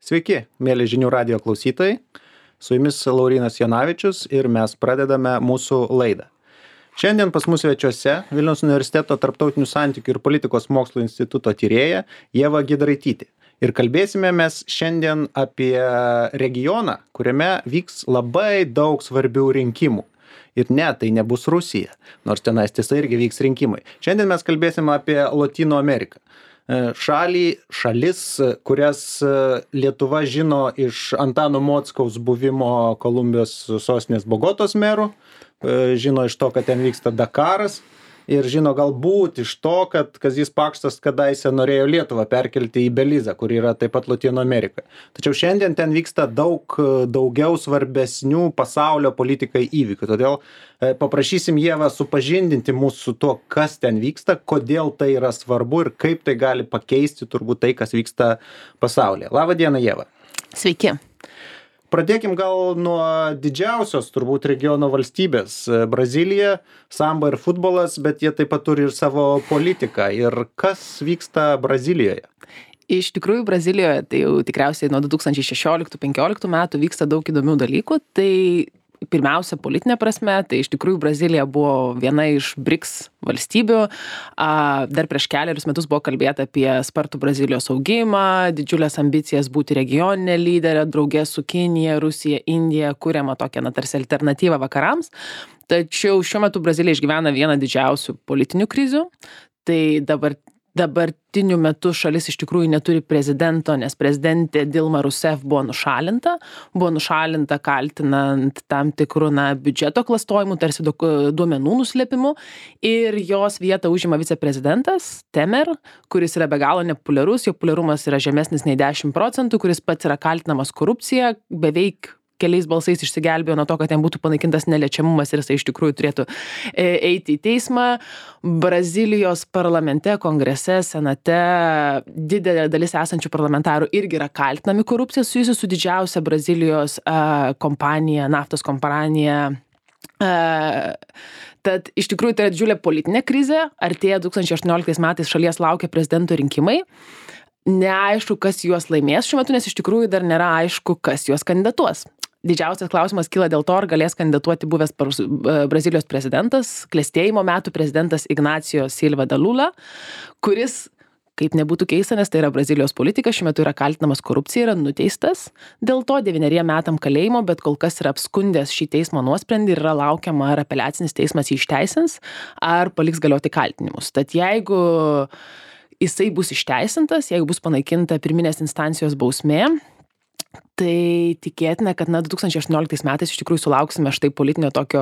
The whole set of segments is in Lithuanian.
Sveiki, mėly žinių radijo klausytojai. Su jumis Laurynas Jonavičius ir mes pradedame mūsų laidą. Šiandien pas mus svečiuose Vilniaus universiteto tarptautinių santykių ir politikos mokslų instituto tyrėja Ieva Giedraitytė. Ir kalbėsime mes šiandien apie regioną, kuriame vyks labai daug svarbių rinkimų. Ir ne, tai nebus Rusija, nors tenais tiesa irgi vyks rinkimai. Šiandien mes kalbėsime apie Lotynų Ameriką. Šalis, kurias Lietuva žino iš Antano Mockaus buvimo Kolumbijos sostinės Bogotos meru, žino iš to, kad ten vyksta Dakaras ir žino galbūt iš to, kad Kazys Pakštas kadaise norėjo Lietuvą perkelti į Belizą, kur yra taip pat Lotynų Amerika. Tačiau šiandien ten vyksta daugiau svarbesnių pasaulio politikai įvykių. Todėl paprašysim Ievą supažindinti mūsų su tuo, kas ten vyksta, kodėl tai yra svarbu ir kaip tai gali pakeisti turbūt tai, kas vyksta pasaulyje. Labą dieną, Ieva. Sveiki. Pradėkim gal nuo didžiausios turbūt regiono valstybės - Brazilija, samba ir futbolas, bet jie taip pat turi ir savo politiką. Ir kas vyksta Brazilijoje? Iš tikrųjų, Brazilijoje tai jau tikriausiai nuo 2016-2015 metų vyksta daug įdomių dalykų. Tai pirmiausia, politinė prasme, tai iš tikrųjų Brazilija buvo viena iš BRICS valstybių. Dar prieš kelerius metus buvo kalbėta apie spartų Brazilijos augimą, didžiulės ambicijas būti regioninė lyderė, draugė su Kinija, Rusija, Indija, kuriama tokia, tarsi alternatyva vakarams. Tačiau šiuo metu Brazilija išgyvena vieną didžiausių politinių krizių. Tai dabartiniu metu šalis iš tikrųjų neturi prezidento, nes prezidentė Dilma Rousseff buvo nušalinta. Buvo nušalinta kaltinant tam tikrų biudžeto klastojimu, tarsi duomenų nuslėpimu. Ir jos vietą užima viceprezidentas Temer, kuris yra be galo nepopuliarus, jo populiarumas yra žemesnis nei 10%, kuris pats yra kaltinamas korupcija, beveik keliais balsais išsigelbėjo nuo to, kad ten būtų panaikintas neliečiamumas ir jisai iš tikrųjų turėtų eiti į teismą. Brazilijos parlamente, kongrese, senate didelė dalis esančių parlamentarų irgi yra kaltinami korupcija susijusi su didžiausia Brazilijos kompanija, naftos kompanija. Tad iš tikrųjų tai yra didžiulė politinė krizė. Artėja 2018 metais šalies laukia prezidento rinkimai. Neaišku, kas juos laimės šiuo metu, nes iš tikrųjų dar nėra aišku, kas juos kandidatuos. Didžiausias klausimas kyla dėl to, ar galės kandidatuoti buvęs Brazilijos prezidentas, klestėjimo metų prezidentas Ignacio Silva da Lula, kuris, kaip nebūtų keista, nes tai yra Brazilijos politikas, šiuo metu yra kaltinamas korupcija, yra nuteistas. Dėl to 9 metam kalėjimo, bet kol kas yra apskundęs šį teismo nuosprendį ir yra laukiama, ar apeliacinis teismas jį išteisins, ar paliks galioti kaltinimus. Tad jeigu jisai bus išteisintas, jeigu bus panaikinta pirminės instancijos bausmė, tai tikėtina, kad 2018 metais iš tikrųjų sulauksime štai politinio tokio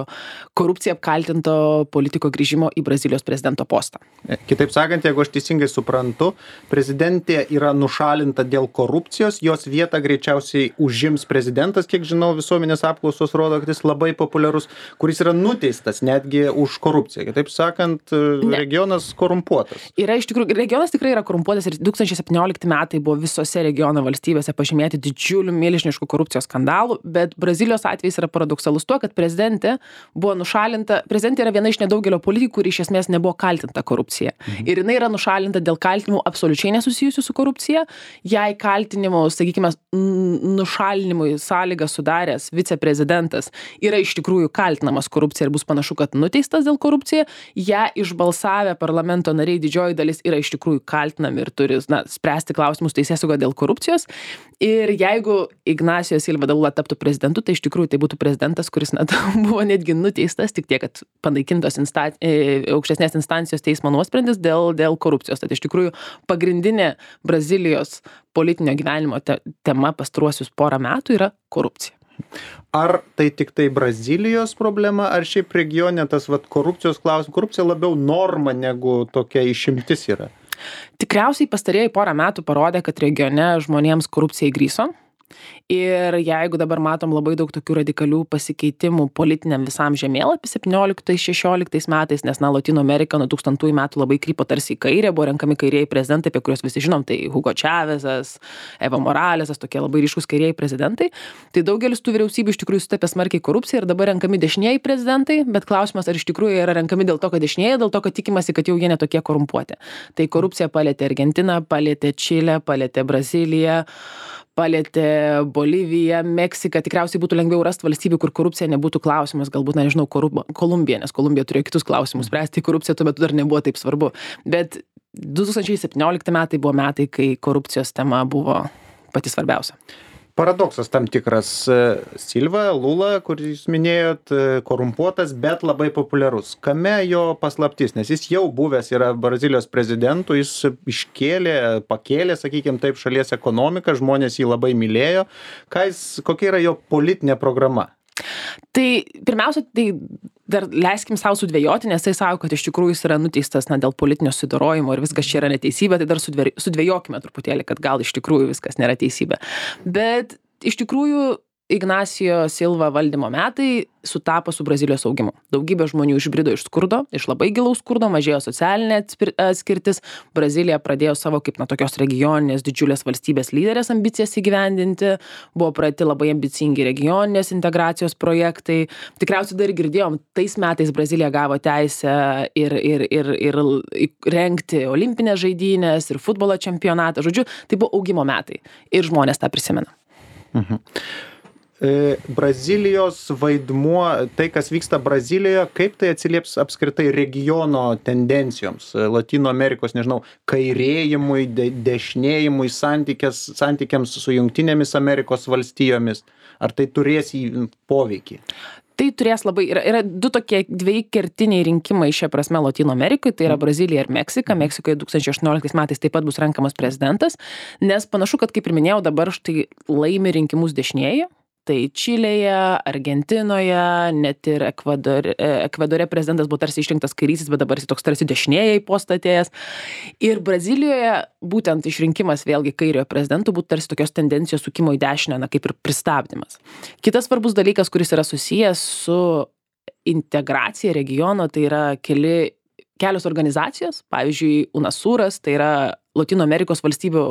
korupcija apkaltinto politiko grįžimo į Brazilijos prezidento postą. Kitaip sakant, jeigu aš teisingai suprantu, prezidentė yra nušalinta dėl korupcijos, jos vietą greičiausiai užims prezidentas, kiek žinau, visuomenės apklausos rodo, kad jis labai populiarus, kuris yra nuteistas netgi už korupciją. Kitaip sakant, regionas korumpuotas. Iš tikrųjų, regionas tikrai yra korumpuotas ir 2017 metai buvo visose regiono valstybėse pažymėti didžiulių milžiniškų korupcijos skandalų, bet Brazilijos atvejis yra paradoksalus tuo, kad prezidentė buvo nušalinta. Prezidentė yra viena iš nedaugelio politikų, kuri iš esmės nebuvo kaltinta korupcija. Ir jinai yra nušalinta dėl kaltinimų absoliučiai nesusijusių su korupcija. Jei kaltinimų, sakykime, nušalinimui sąlygą sudaręs viceprezidentas yra iš tikrųjų kaltinamas korupcija ir bus panašu, kad nuteistas dėl korupciją, ją išbalsavę parlamento nariai didžioji dalis yra iš tikrųjų kaltinami ir turi spręsti klausimus teisėsauga dėl korupcijos. Ir jeigu Ignacio Silva da Lula taptų prezidentu, tai iš tikrųjų tai būtų prezidentas, kuris buvo netgi nuteistas, tik tiek, kad panaikintos aukštesnės instancijos teismo nuosprendis dėl korupcijos. Tai iš tikrųjų pagrindinė Brazilijos politinio gyvenimo tema pastaruosius porą metų yra korupcija. Ar tai tik tai Brazilijos problema, ar šiaip regione tas korupcijos klausimas, korupcija labiau norma negu tokia išimtis yra? Tikriausiai pastarieji porą metų parodė, kad regione žmonėms korupcija įgryso. Ir jeigu dabar matom labai daug tokių radikalių pasikeitimų politiniam visam žemėlapį 17-16 metais, nes Lotynų Amerika nuo 2000 metų labai krypo tarsi į kairę, buvo renkami kairieji prezidentai, apie kuriuos visi žinom, tai Hugo Chávezas, Evo Moralesas, tokie labai ryškus kairieji prezidentai. Tai daugelis tų vyriausybių iš tikrųjų sutapė smarkiai korupciją ir dabar renkami dešinieji prezidentai, bet klausimas, ar iš tikrųjų yra renkami dėl to, kad dešinieji, dėl to, kad tikimasi, kad jau jie netokie korumpuoti. Tai korupcija palėtė Argentiną, palėtė Čilę, palėtė Braziliją, palietė Boliviją, Meksiką, tikriausiai būtų lengviau rasti valstybių, kur korupcija nebūtų klausimas, galbūt, nežinau, Kolumbija, nes Kolumbija turėjo kitus klausimus spręsti, korupcija tuo metu dar nebuvo taip svarbu. Bet 2017 metai buvo metai, kai korupcijos tema buvo pati svarbiausia. Paradoksas tam tikras. Silva, Lula, kur jūs minėjot, korumpuotas, bet labai populiarus. Kame jo paslaptis? Nes jis jau buvęs yra Brazilijos prezidentu, jis pakėlė, sakykime taip, šalies ekonomiką, žmonės jį labai mylėjo. Kokia yra jo politinė programa? Tai pirmiausia, tai dar leiskim savo sudvejoti, nes tai sako, kad iš tikrųjų jis yra nuteistas dėl politinio susidorojimo ir viskas čia yra neteisybė, tai dar sudvejokime truputėlį, kad gal iš tikrųjų viskas nėra teisybė. Bet iš tikrųjų Ignacio Silva valdymo metai sutapo su Brazilijos augimu. Daugybė žmonių išbrido iš skurdo, iš labai gilaus skurdo, mažėjo socialinė atskirtis. Brazilija pradėjo savo kaip tokios regioninės didžiulės valstybės lyderės ambicijas įgyvendinti. Buvo pradėti labai ambicingi regioninės integracijos projektai. Tikriausiai dar girdėjom, tais metais Brazilija gavo teisę ir rengti olimpinės žaidynės ir futbolo čempionatą. Žodžiu, tai buvo augimo metai ir žmonės tą prisimena. Brazilijos vaidmuo, tai kas vyksta Brazilijoje, kaip tai atsilieps apskritai regiono tendencijoms, Latino Amerikos, nežinau, kairėjimui, dešinėjimui, santykiams su Jungtinėmis Amerikos valstijomis, ar tai turės poveikį? Tai turės labai, yra dviejai kertiniai rinkimai šia prasme Latino Amerikoje, tai yra Brazilija ir Meksika. Meksikoje 2018 metais taip pat bus renkamas prezidentas, nes panašu, kad kaip ir minėjau, dabar štai laimi rinkimus dešinieji. Tai Čilėje, Argentinoje, net ir Ekvadore prezidentas buvo tarsi išrinktas kairysis, bet dabar jis toks tarsi dešinėje į postą atėjęs. Ir Brazilijoje būtent išrinkimas vėlgi kairiojo prezidentų būtų tarsi tokios tendencijos sukimo į dešinę, kaip ir pristabdymas. Kitas svarbus dalykas, kuris yra susijęs su integracija regiono, tai yra kelios organizacijos, pavyzdžiui, UNASURas, tai yra Latino Amerikos valstybių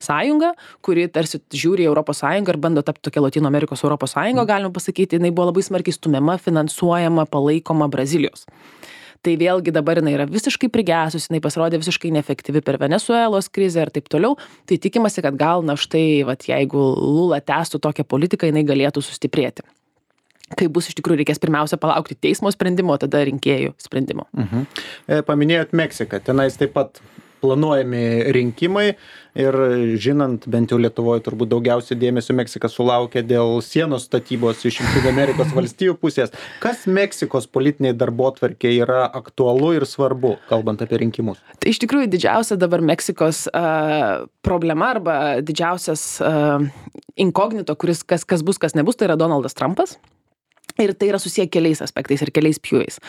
sąjunga, kuri tarsi žiūri į Europos sąjungą ir bando tapti tokia Latino Amerikos Europos sąjunga, galima pasakyti, jinai buvo labai smarkiai stumiama, finansuojama, palaikoma Brazilijos. Tai vėlgi dabar jinai yra visiškai prigesus, jinai pasirodė visiškai neefektyvi per Venesuelos krizę ir taip toliau. Tai tikimasi, kad gal štai, jeigu Lula tęstų tokią politiką, jinai galėtų sustiprėti. Kai bus iš tikrųjų reikės pirmiausia palaukti teismo sprendimo, tada rinkėjų sprendimo. Paminėjot Meksiką, tenais taip pat planuojami rinkimai ir žinant, bent jau Lietuvoje turbūt daugiausiai dėmesio Meksika sulaukia dėl sienos statybos iš Jungtinių Amerikos valstijų pusės. Kas Meksikos politiniai darbotvarkėje yra aktualu ir svarbu, kalbant apie rinkimus? Tai iš tikrųjų didžiausia dabar Meksikos problema arba didžiausias inkognito, kas bus, kas nebus, tai yra Donaldas Trumpas. Ir tai yra susiję keliais aspektais ir keliais pjūviais.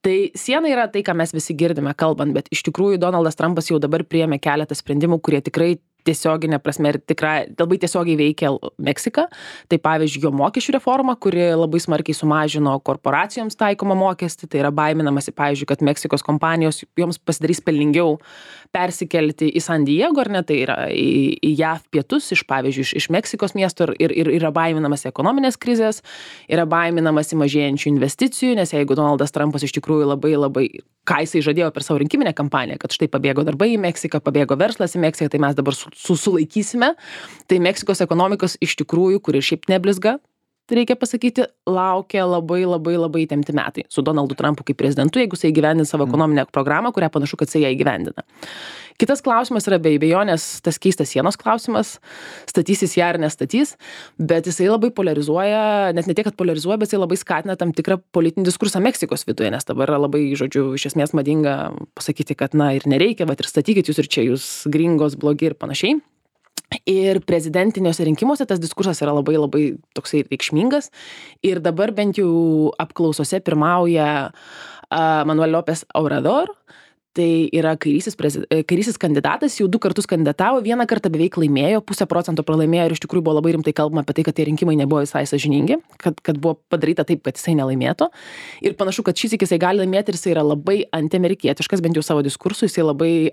Tai siena yra tai, ką mes visi girdime kalbant, bet iš tikrųjų Donaldas Trumpas jau dabar priėmė keletą sprendimų, kurie tikrai tiesioginė prasme ir labai tiesiogiai veikia Meksiką. Tai pavyzdžiui, jo mokesčių reforma, kuri labai smarkiai sumažino korporacijoms taikomą mokestį. Tai yra baiminamasi, pavyzdžiui, kad Meksikos kompanijos joms pasidarys pelningiau persikelti į San Diego, ar ne, tai yra į JAV pietus, pavyzdžiui, iš Meksikos miesto ir yra baiminamasi ekonominės krizės, yra baiminamasi mažėjančių investicijų, nes jeigu Donaldas Trumpas iš tikrųjų labai, ką jisai žadėjo per savo rinkiminę kampaniją, kad štai pabėgo darbai į Meksiką, pabėgo verslas į Meksiką, tai mes dabar sulaikysime, tai Meksikos ekonomikos iš tikrųjų, kuri šiaip neblizga, reikia pasakyti, laukia labai įtempti metai su Donaldu Trumpu kaip prezidentu, jeigu jisai įgyvendins savo ekonominę programą, kurią panašu, kad jisai ją įgyvendina. Kitas klausimas yra be abejonės tas keistas sienos klausimas, statysis ją ar nestatys, bet jisai labai polarizuoja, net ne tiek, kad polarizuoja, bet jisai labai skatina tam tikrą politinį diskursą Meksikos viduje, nes dabar yra labai, iš esmės madinga pasakyti, kad ir nereikia, bet ir statykit jūs ir čia jūs gringos, blogi ir panašiai. Ir prezidentiniuose rinkimuose tas diskursas yra labai toksai reikšmingas ir dabar bent jau apklausose pirmauja Manuel López Obrador. Tai yra kairysis kandidatas, jau 2 kartus kandidatavo, 1 kartą beveik laimėjo, 0,5% pralaimėjo ir iš tikrųjų buvo labai rimtai kalbama apie tai, kad tie rinkimai nebuvo visai sąžiningi, kad buvo padaryta taip, kad jisai nelaimėtų. Ir panašu, kad šis jisai gali laimėti ir jisai yra labai antiamerikietiškas, bent jau savo diskursu, jisai labai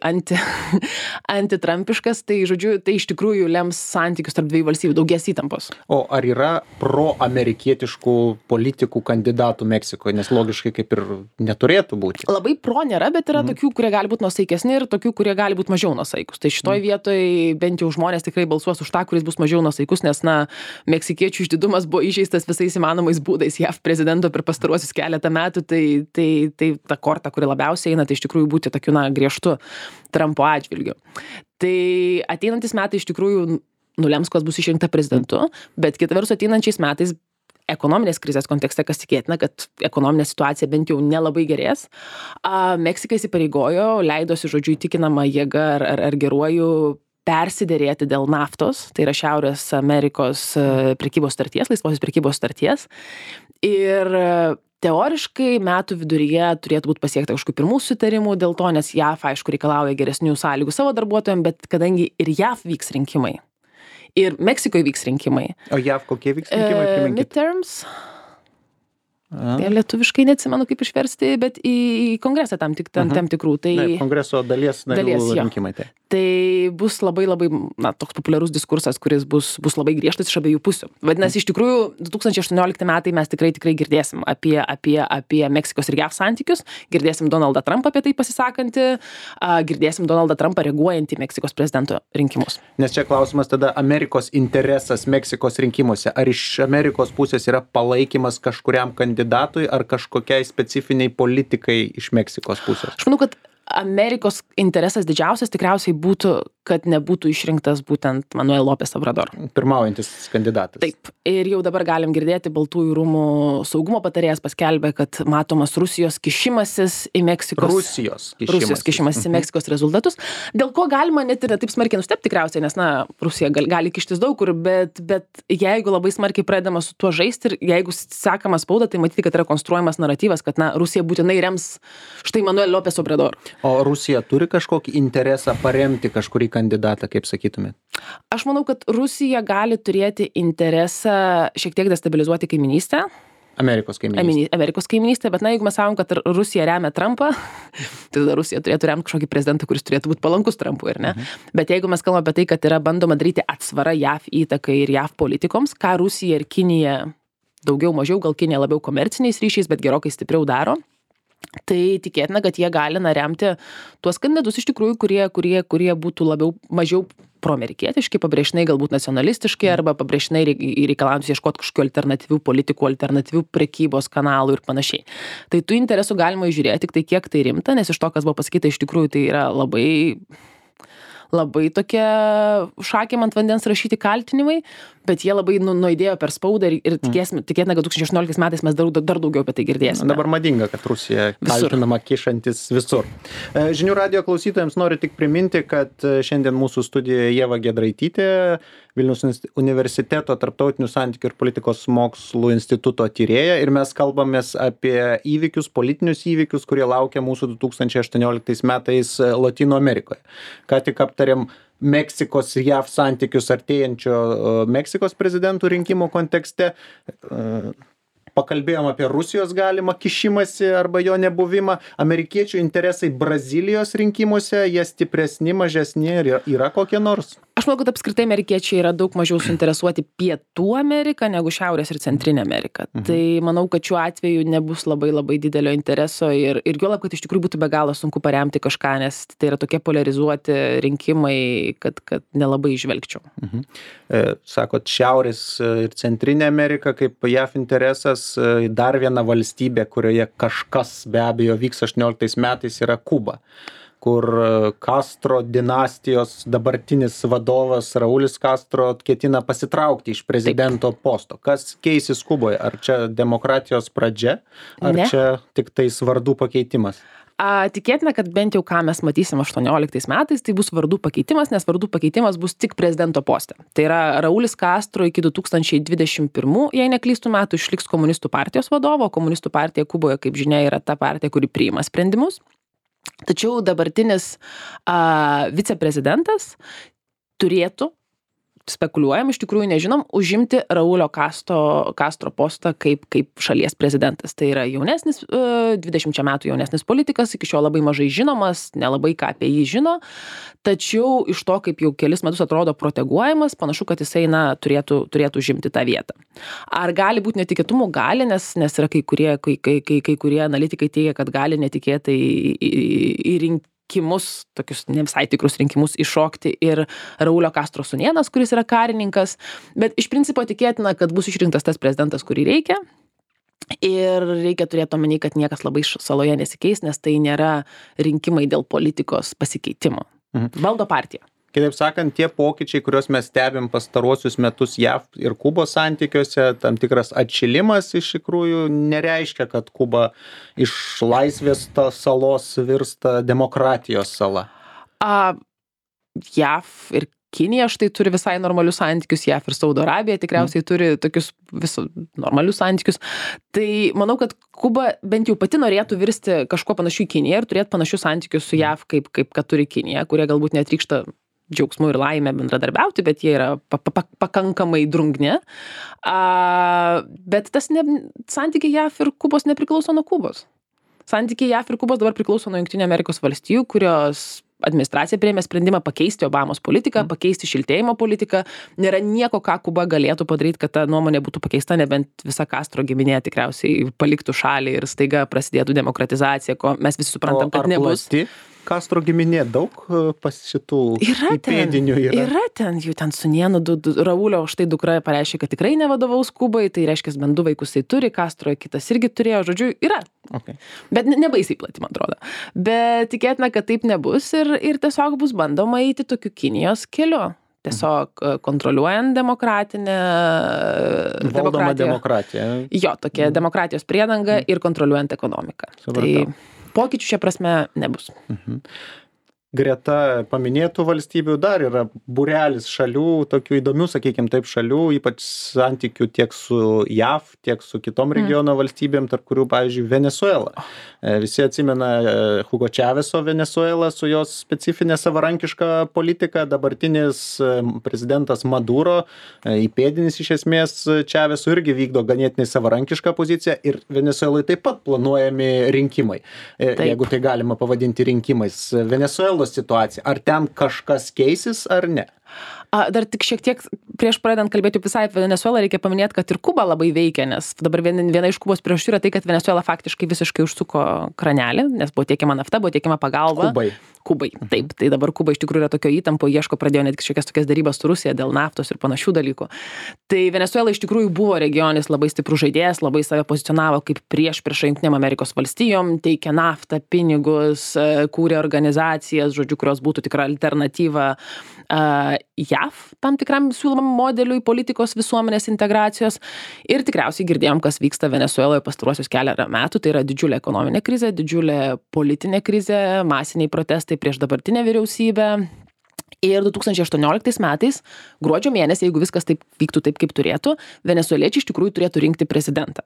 antitrampiškas, tai žodžiu, tai iš tikrųjų lems santykius tarp dviejų valstybių, daugės įtampos. O ar yra proamerikietiškų politikų kandidatų Meksikoje, nes logiškai kaip ir neturėtų būti? Labai pro nėra, bet yra tokių tokių, kurie gali būti nuosaikesni ir tokių, kurie gali būti mažiau nuosaikus. Tai šitoj vietoj bent jau žmonės tikrai balsuos už tą, kuris bus mažiau nuosaikus, nes, meksikiečių išdidumas buvo įžeistas visais įmanomais būdais JAV prezidento per pastaruosius keletą metų, tai ta korta, kuri labiausiai eina, tai iš tikrųjų būti tokiu, griežtu Trumpo atžvilgiu. Tai ateinantis metai iš tikrųjų nulems, kas bus išrinkta prezidentu, bet kita vertus ateinančiais metais ekonominės krizės kontekste, kas tikėtina, kad ekonominė situacija bent jau nelabai gerės. Meksika įsipareigojo, leidosi, žodžiu, įtikinama jėga ar geruoju persiderėti dėl naftos, tai yra Šiaurės Amerikos prekybos starties, laisvosios prekybos starties. Ir teoriškai metų viduryje turėtų būti pasiekta kažkokių pirmų sutarimų dėl to, nes JAV, aišku, reikalauja geresnių sąlygų savo darbuotojams, bet kadangi ir JAV vyks rinkimai, ir Meksikoje vyks rinkimai. O JAV kokie vyks rinkimai? Midterms. Lietuviškai neatsimenu, kaip išversti, bet į kongresą tam tikrų. Tai kongreso dalies narių rinkimai. Tai bus labai, toks populiarus diskursas, kuris bus labai griežtas iš abiejų pusių. Vadinasi, iš tikrųjų, 2018 metai mes tikrai girdėsim apie Meksikos ir JAV santykius, girdėsim Donaldą Trumpą apie tai pasisakantį, girdėsim Donaldą Trumpą reaguojantį į Meksikos prezidento rinkimus. Nes čia klausimas tada Amerikos interesas Meksikos rinkimuose. Ar iš Amerikos pusės yra palaikymas kažkuriam kandidatui ar kažkokiai specifiniai politikai iš Meksikos pusės? Aš manau, kad Amerikos interesas didžiausias tikriausiai būtų, kad nebūtų išrinktas būtent Manuel López Obrador. Pirmaujantis kandidatas. Taip. Ir jau dabar galim girdėti, Baltųjų rūmų saugumo patarėjas paskelbė, kad matomas Rusijos kišimasis į Meksikos... Rusijos kišimasis į Meksikos rezultatus. Dėl ko galima net ir taip smarkiai nustebti tikriausiai, nes, Rusija gali kištis daug kur, bet jeigu labai smarkiai pradedama su tuo žaisti ir jeigu sekama spauda, tai matyti, kad yra konstruojamas naratyvas, kad, Rusija būtinai rems štai Manuel López Obrador. O Rusija turi kažkokį interesą paremti kažkurį kandidatą, kaip sakytumėt? Aš manau, kad Rusija gali turėti interesą šiek tiek destabilizuoti kaiminystę. Amerikos kaiminystę, bet jeigu mes sakom, kad Rusija remia Trumpą, tai tada Rusija turėtų remti kažkokį prezidentą, kuris turėtų būti palankus Trumpui, ar ne? Bet jeigu mes kalbame apie tai, kad yra bandoma daryti atsvarą JAV įtakai ir JAV politikoms, ką Rusija ir Kinija daugiau mažiau, gal Kinija labiau komerciniais ryšiais, bet gerokai stipriau daro, tai tikėtina, kad jie gali remti tuos kandidatus iš tikrųjų, kurie būtų mažiau proamerikietiški, pabrėžtinai galbūt nacionalistiški arba pabrėžtinai reikalaujantis ieškoti kažkokių alternatyvių politikų, alternatyvių prekybos kanalų ir panašiai. Tai tų interesų galima įžiūrėti, tik tai kiek tai rimta, nes iš to, kas buvo pasakyta, iš tikrųjų tai yra labai tokie šakėm ant vandens rašyti kaltinimai, bet jie labai nuaidėjo per spaudą ir tikėtina, kad 2018 metais mes dar daugiau apie tai girdėsime. Dabar madinga, kad Rusija kaltinama kišantis visur. Žinių radijo klausytojams noriu tik priminti, kad šiandien mūsų studijoje Ieva Giedraitytė, Vilniaus universiteto tarptautinių santykių ir politikos mokslų instituto tyrėja, ir mes kalbamės apie politinius įvykius, kurie laukia mūsų 2018 metais Lotynų Amerikoje. Ką tik aptarėm Meksikos ir JAV santykius artėjančio Meksikos prezidentų rinkimų kontekste. Pakalbėjom apie Rusijos galimą kišimąsi arba jo nebuvimą. Amerikiečių interesai Brazilijos rinkimuose, jie stipresni, mažesni, yra kokie nors? Aš manau, kad apskritai amerikiečiai yra daug mažiau suinteresuoti Pietų Ameriką negu Šiaurės ir Centrinė Amerika. Tai manau, kad šiuo atveju nebus labai didelio intereso ir juolab, kad iš tikrųjų būtų be galo sunku paremti kažką, nes tai yra tokie polarizuoti rinkimai, kad nelabai įžvelgčiau. Sakot, Šiaurės ir Centrinė Amerika kaip JAV interesas, dar viena valstybė, kurioje kažkas be abejo vyks 18 metais, yra Kuba, kur Castro dinastijos dabartinis vadovas Raulis Castro ketina pasitraukti iš prezidento posto. Kas keisis Kuboje? Ar čia demokratijos pradžia, ar čia tik tais vardų pakeitimas? Tikėtina, kad bent jau ką mes matysim 18 metais, tai bus vardų pakeitimas, nes vardų pakeitimas bus tik prezidento poste. Tai yra Raulis Castro iki 2021, jei neklystų metų, išliks komunistų partijos vadovo. Komunistų partija Kuboje, kaip žinia, yra ta partija, kuri priima sprendimus. Tačiau dabartinis viceprezidentas turėtų spekuliuojam, iš tikrųjų nežinom, užimti Raulio Castro postą kaip šalies prezidentas. Tai yra jaunesnis, 20 metų jaunesnis politikas, iki šiol labai mažai žinomas, nelabai ką apie jį žino, tačiau iš to, kaip jau kelis metus atrodo proteguojamas, panašu, kad jisai turėtų užimti tą vietą. Ar gali būti netikėtumų? Gali, nes yra kai kurie analitikai teigia, kad gali netikėtai į rinkimus, tokius ne visai tikrus rinkimus iššokti ir Raulio Castro sūnėnas, kuris yra karininkas, bet iš principo tikėtina, kad bus išrinktas tas prezidentas, kurį reikia. Ir reikia turėti omeny, kad niekas labai saloje nesikeis, nes tai nėra rinkimai dėl politikos pasikeitimo. Valdo partija. Kitaip sakant, tie pokyčiai, kuriuos mes stebim pastaruosius metus JAV ir Kubos santykiuose, tam tikras atšilimas iš tikrųjų nereiškia, kad Kuba iš laisvės salos virsta demokratijos sala. JAV ir Kinija štai turi visai normalius santykius, JAV ir Saudo Arabija tikriausiai turi tokius normalius santykius. Tai manau, kad Kuba bent jau pati norėtų virsti kažkuo panašiu į Kiniją ir turėti panašius santykius su JAV, kaip kad turi Kinija, kurie galbūt netrykšta džiaugsmu ir laimę bendradarbiauti, bet jie yra pakankamai drungni. Bet tas santykiai JAV ir Kubos nepriklauso nuo Kubos. Santykiai JAV ir Kubos dabar priklauso nuo Jungtinių Amerikos valstijų, kurios administracija priėmė sprendimą pakeisti Obamos politiką, pakeisti šiltėjimo politiką. Nėra nieko, ką Kuba galėtų padaryti, kad ta nuomonė būtų pakeista, nebent visa Castro giminė tikriausiai paliktų šalį ir staiga prasidėtų demokratizacija, ko mes visi suprantam, kad nebus. Castro giminė daug pas šitų įpėdinių yra? Yra ten, jų ten sūnėnų, Raulio štai dukra pareiškė, kad tikrai nevadovaus Kubai, tai reiškia, bent 2 vaikus tai turi, Castro kitas irgi turėjo, žodžiu, yra. Okay. Bet nebaisiai plati, man atrodo. Bet tikėtina, kad taip nebus ir tiesiog bus bandoma eiti tokiu Kinijos keliu. Tiesiog kontroliuojant valdoma demokratija. Jo, tokia demokratijos priedanga ir kontroliuojant ekonomiką. Supratau. Tai pokyčių šia prasme nebus. Greta paminėtų valstybių dar yra būrelis šalių, tokių įdomių, sakykime taip, šalių, ypač santykių tiek su JAV, tiek su kitom regiono valstybėm, tarp kurių, pavyzdžiui, Venezuela. Visi atsimena Hugo Chaveso Venezuela su jos specifinė savarankiška politika, dabartinis prezidentas Maduro, įpėdinis iš esmės Chaveso irgi vykdo ganėtinai savarankišką poziciją ir Venezuelai taip pat planuojami rinkimai, jeigu tai galima pavadinti rinkimais. Venezuela situacija. Ar ten kažkas keisis ar ne? Dar tik šiek tiek prieš pradedant kalbėti visai apie Venezuelą, reikia paminėti, kad ir Kuba labai veikia, nes dabar viena iš Kubos priežasčių yra tai, kad Venezuela faktiškai visiškai užsuko kranelį, nes buvo tiekiama nafta, buvo tiekiama pagalba. Kubai. Taip, tai dabar Kuba iš tikrųjų yra tokio įtampo, pradėjo netgi šiokias tokias darybas su Rusija dėl naftos ir panašių dalykų. Tai Venezuela iš tikrųjų buvo regionis labai stiprus žaidėjas, labai save pozicionavo kaip prieš Jungtinėm Amerikos valstijom, teikė naftą, pinigus, kūrė organizacijas, žodžiu, kurios būtų tikra alternatyva JAV tam tikram siūlomam modeliui politikos visuomenės integracijos. Ir tikriausiai girdėjom, kas vyksta Venezueloje pastaruosius keletą metų. Tai yra didžiulė ekonominė krizė, didžiulė politinė krizė, masiniai protestai prieš dabartinę vyriausybę. Ir 2018 metais, gruodžio mėnesį, jeigu viskas taip vyktų taip, kaip turėtų, venesueliečiai iš tikrųjų turėtų rinkti prezidentą.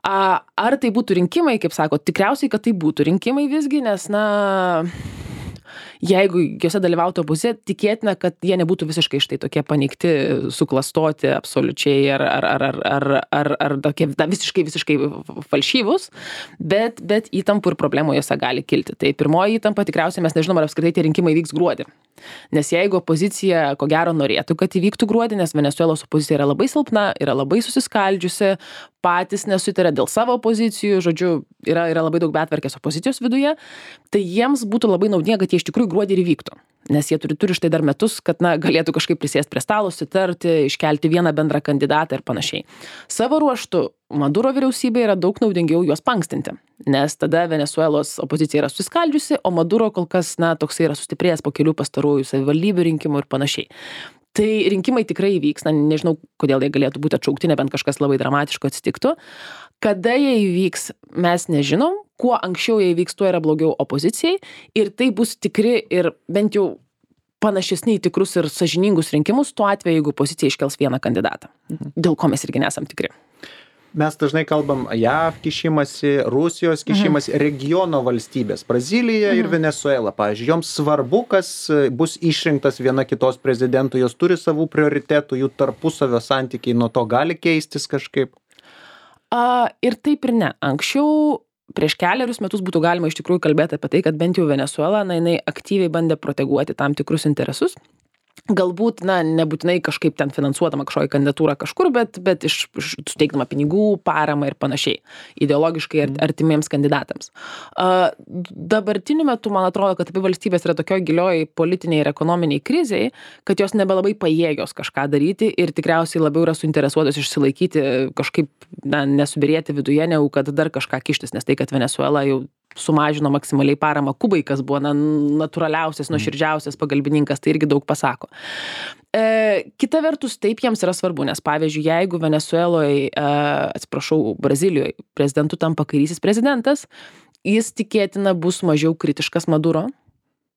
Ar tai būtų rinkimai, kaip sako, tikriausiai, kad tai būtų rinkimai visgi, nes, jeigu juose dalyvautų opozicija, tikėtina, kad jie nebūtų visiškai štai tokie paneigti, suklastoti absoliučiai ar tokie visiškai falšyvus, bet įtampų ir problemų juose gali kilti. Tai pirmoji įtampa tikriausiai mes nežinom, ar apskritai tie rinkimai vyks gruodį. Nes jeigu opozicija, ko gero, norėtų, kad įvyktų gruodį, nes Venesuelos opozicija yra labai silpna, yra labai susiskaldžiusi, patys nesutarė dėl savo pozicijų, žodžiu, yra labai daug betvarkės opozicijos viduje, tai jiems būtų labai naudinga, kad jie iš tikrųjų gruodį ir įvyktų. Nes jie turi štai dar metus, kad galėtų kažkaip prisėsti prie stalo, sutarti, iškelti vieną bendrą kandidatą ir panašiai. Savo ruožtu Maduro vyriausybė yra daug naudingiau juos pankstinti, nes tada Venesuelos opozicija yra susiskaldžiusi, o Maduro kol kas toksai yra sustiprėjęs po kelių pastarųjų savivaldybių rinkimų ir panašiai. Tai rinkimai tikrai įvyks, nežinau, kodėl jie galėtų būti atšaukti, nebent kažkas labai dramatiško atsitiktų. Kada jie įvyks, mes nežinom, kuo anksčiau jie įvyks, tuo yra blogiau opozicijai ir tai bus tikri ir bent jau panašesni į tikrus ir sąžiningus rinkimus, tuo atveju, jeigu opozicija iškels vieną kandidatą, dėl ko mes irgi nesam tikri. mes dažnai kalbam JAV kišimąsi, Rusijos kišimąsi, regiono valstybės, Brazilija ir Venezuela, pavyzdžiui, joms svarbu, kas bus išrinktas viena kitos prezidentų, jos turi savų prioritetų, jų tarpusavio santykiai nuo to gali keistis kažkaip. Ir taip ir ne. Anksčiau, prieš kelerius metus būtų galima iš tikrųjų kalbėti apie tai, kad bent jau Venezuela, jinai aktyviai bandė proteguoti tam tikrus interesus. Galbūt, nebūtinai kažkaip ten finansuodama kažkokią kandidatūrą kažkur, bet suteikdama pinigų, paramą ir panašiai, ideologiškai artimiems kandidatams. Dabartiniu metu, man atrodo, kad abi valstybės yra tokioj gilioj politiniai ir ekonominiai kriziai, kad jos nebelabai pajėgios kažką daryti ir tikriausiai labiau yra suinteresuotos išsilaikyti, kažkaip nesubirėti viduje, negu kad dar kažką kištis, nes tai, kad Venezuela jau sumažino maksimaliai paramą Kubai, kas buvo natūraliausias, nuoširdžiausias pagalbininkas, tai irgi daug pasako. Kita vertus, taip jiems yra svarbu, nes pavyzdžiui, jeigu Venezueloje, Brazilijoje prezidentu tampa kairysis prezidentas, jis tikėtina bus mažiau kritiškas Maduro,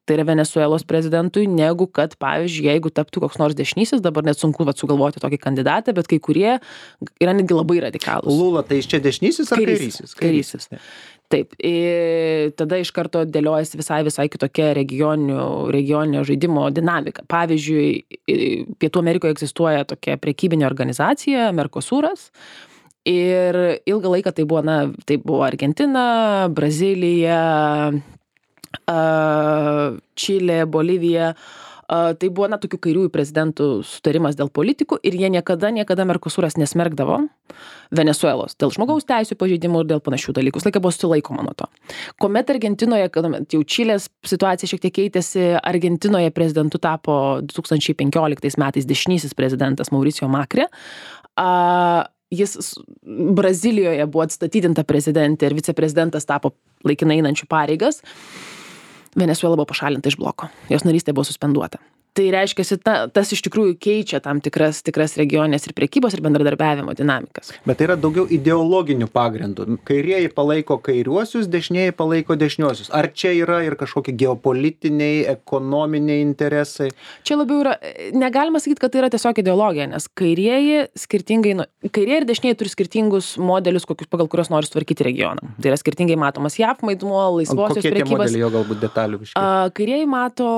tai yra Venezuelos prezidentui, negu kad, pavyzdžiui, jeigu taptų koks nors dešinysis, dabar net sunku sugalvoti tokį kandidatą, bet kai kurie yra netgi labai radikalūs. Lula, tai iš čia dešinysis ar kairysis? Kairysis. Taip, tada iš karto dėliojasi visai kitokia regioninio žaidimo dinamika. Pavyzdžiui, Pietų Amerikoje egzistuoja tokia prekybinė organizacija, Mercosuras, ir ilgą laiką tai buvo Argentina, Brazilija, Čilė, Bolivija. Tai buvo tokių kairiųjų prezidentų sutarimas dėl politikų ir jie niekada Mercosuras nesmerkdavo Venezuelos dėl žmogaus teisių pažeidimų ir dėl panašių dalykų. Laiką buvo sulaikoma nuo to. Kuomet Argentinoje, kad jau Čilės situacija šiek tiek keitėsi, Argentinoje prezidentu tapo 2015 metais dešinysis prezidentas Mauricio Macri. Jis Brazilijoje buvo atstatydinta prezidentė ir viceprezidentas tapo laikinai einančių pareigas. Venezuela buvo pašalinta iš bloko. Jos narystė buvo suspenduota. Tai reiškia, tas iš tikrųjų keičia tam tikras regioninės ir prekybos ir bendradarbiavimo dinamikas. Bet tai yra daugiau ideologinių pagrindų. Kairieji palaiko kairiuosius, dešinieji palaiko dešiniuosius. Ar čia yra ir kažkokie geopolitiniai, ekonominiai interesai? Čia labiau yra, negalima sakyti, kad tai yra tiesiog ideologija, nes kairieji ir dešinieji turi skirtingus modelius, pagal kurios nori sutvarkyti regioną. Tai yra skirtingai matomas JAV vaidmuo, laisvosios prekybos. Kokie tie modeliai, jo galbūt detalių biškai? Kairieji mato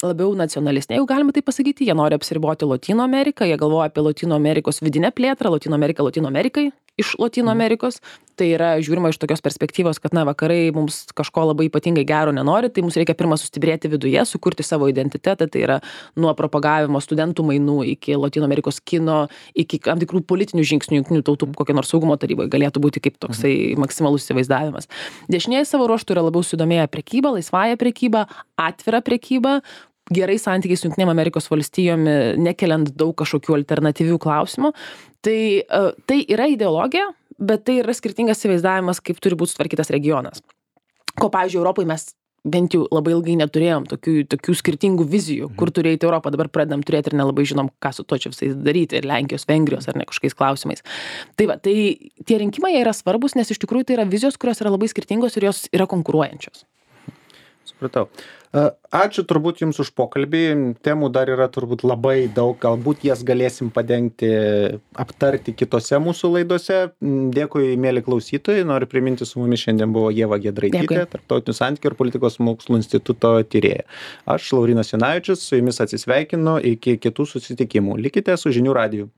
labiau nacionalistinė, jeigu galima tai pasakyti, jie nori apsiriboti Lotynų Ameriką, jie galvoja apie Lotynų Amerikos vidinę plėtrą, Lotynų Amerikai iš Lotynų Amerikos. Tai yra žiūrima iš tokios perspektyvos, kad vakarai mums kažko labai ypatingai gero nenori, tai mums reikia pirmą sustiprėti viduje, sukurti savo identitetą, tai yra nuo propagavimo studentų mainų iki Lotynų Amerikos kino, iki tam tikrų politinių žingsnių jungtinių tautų kokio nors saugumo taryboje galėtų būti kaip toksai maksimalus įsivaizdavimas. Dešinieji savo ruožtų yra labiau sudomėję prekybą, laisvąją prekybą, atvirą prekybą, gerai santykiai su Jungtinėm Amerikos valstijomis, nekeliant daug kažkokių alternatyvių klausimų. Tai yra ideologija, bet tai yra skirtingas įsivaizdavimas, kaip turi būti sutvarkytas regionas. Ko, pavyzdžiui, Europoje mes bent jau labai ilgai neturėjom tokių skirtingų vizijų, kur turi eiti Europą, dabar pradedam turėti ir nelabai žinom, ką su to čia visais daryti, ir Lenkijos, Vengrijos ar ne kažkokiais klausimais. Tai tie rinkimai yra svarbus, nes iš tikrųjų tai yra vizijos, kurios yra labai skirtingos ir jos yra konkuruojančios. Supratau. Ačiū turbūt Jums už pokalbį. Temų dar yra turbūt labai daug. Galbūt jas galėsim padengti, aptarti kitose mūsų laidose. Dėkui, mėly klausytojai. Noriu priminti, su mumis šiandien buvo Ieva Giedraitytė, Tarptautinių santykių ir politikos mokslų instituto tyrėja. Aš, Laurynas Jonavičius, su Jumis atsisveikinu iki kitų susitikimų. Likite su Žinių radiju.